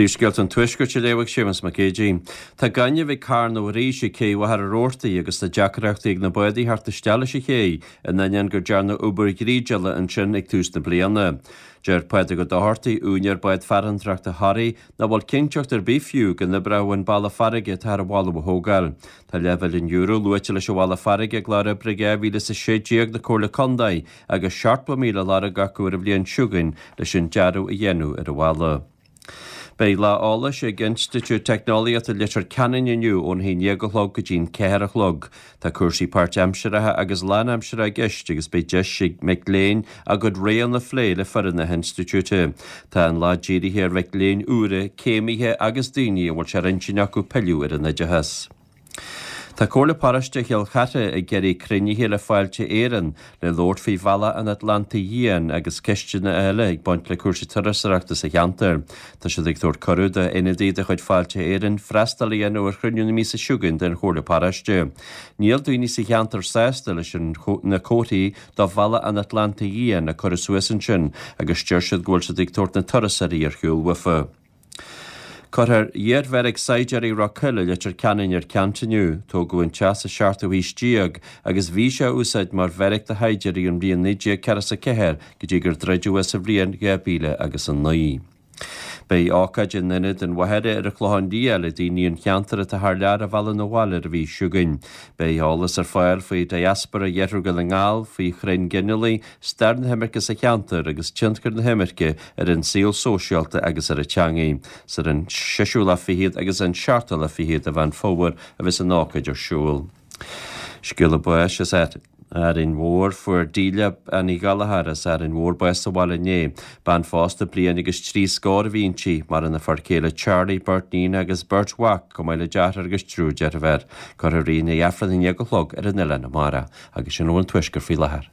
Príomhscéalta an Tuaiscirt á léamh ag Séamus Mac Géidigh. Tá gaineamh ag carnadh arís ag Cé Mhachaire Rabhartaigh agus tá deacrachtaí ag na báid a theacht isteach leis an ché in ainneoin gur dearnadh obair dhrídeála ansin ag tús na bliana. Deir Pádraig Ó Dochartaigh, úinéir bád farantóireachta Thoraí, nach bhfuil cinnteacht ar bith fiú go n-oibreoidh an balla farraige atá ar an mholadh a thógáil. Tá leathmhilliún euro luaite leis an bhalla farraige i gclár oibre 2016 na Comhairle Contae agus 70,000 á lorg acu ar an bhliain seo chugainn leis an dearadh a dhéanamh ar an bhalla. Beidh lá eolais ag Institiúid Teicneolaíochta Leitir Ceanainn inniu ón 11 a chlog go dtí'n 4 a chlog. Tá cúrsaí páirtaimseartha agus lánaimseartha i gceist agus beidh deis ag mic léinn a gcuid roghanna a phlé le foireann na hinstitiúide. Tá an lá dírithe ar mhic léinn úra, céimithe agus daoine a bhfuil sé ar intinn acu pilleadh ar an oideachas. Tá Comhairle Paróiste Chill Chartha ag iarraidh cruinnithe le Fáilte Éireann le labhairt faoi Bhealach an Atlantaigh Fhiáin agus ceisteanna eile ag baint le cúrsaí turasóireachta sa cheantar. Tá siad ag tabhairt cuireadh d'ionadaí de chuid Fáilte Éireann freastal a dhéanamh ar chruinniú na míosa seo chugainn den Chomhairle Paróiste. Níl daoine sa cheantar sásta leis na comharthaí do Bhealach an Atlantaigh Fhiáin a cuireadh suas ansin agus deir siad go bhfuil siad ag tabhairt na turasóirí ar shiúl uafa. Cuirfear iarbheairic saighdiúirí Ráth Coille i Leitir Ceanainn ar ceant inniu. Tógadh an teach sa seachtú haois déag agus bhí sé á úsáid mar bheairic do shaighdiúirí ón mbliain 1944 go dtí gur druideadh é sa bhliain 2009. Beidh ócáid in Ionad an Mhachaire ar an Chlochán Liath le daoine an cheantair atá thar lear a mhealladh 'na bhaile ar an mhí seo chugainn. Beidh eolas ar fáil faoi diaspora Iarthar Dhún na nGall, faoi chrainn ghinealaigh, stair na himirce sa cheantar agus tionchar na himirce ar an saol sóisialta agus ar an teangaidh. Is ar an seisiú lá fichead agus an seachtú lá fichead de Mheán Fómhair a bheas an ócáid ar siúl. Scéala báis as Árainn Mhór, Fuair Delia Bean Uí Ghallchóir as Árainn Mhór bás sa bhaile inné. Bean phósta bliain agus trí scór a bhí inti. Maireann a fear céile Charlie, beirt níon agus beirt mhac, chomh maith le deartháir agus triúr deirféar. Cuirfear í i ndiaidh Aifreann a haon déag a chlog ar an oileán amárach. Agus sin a bhfuil ón Tuaisceart faoi láthair.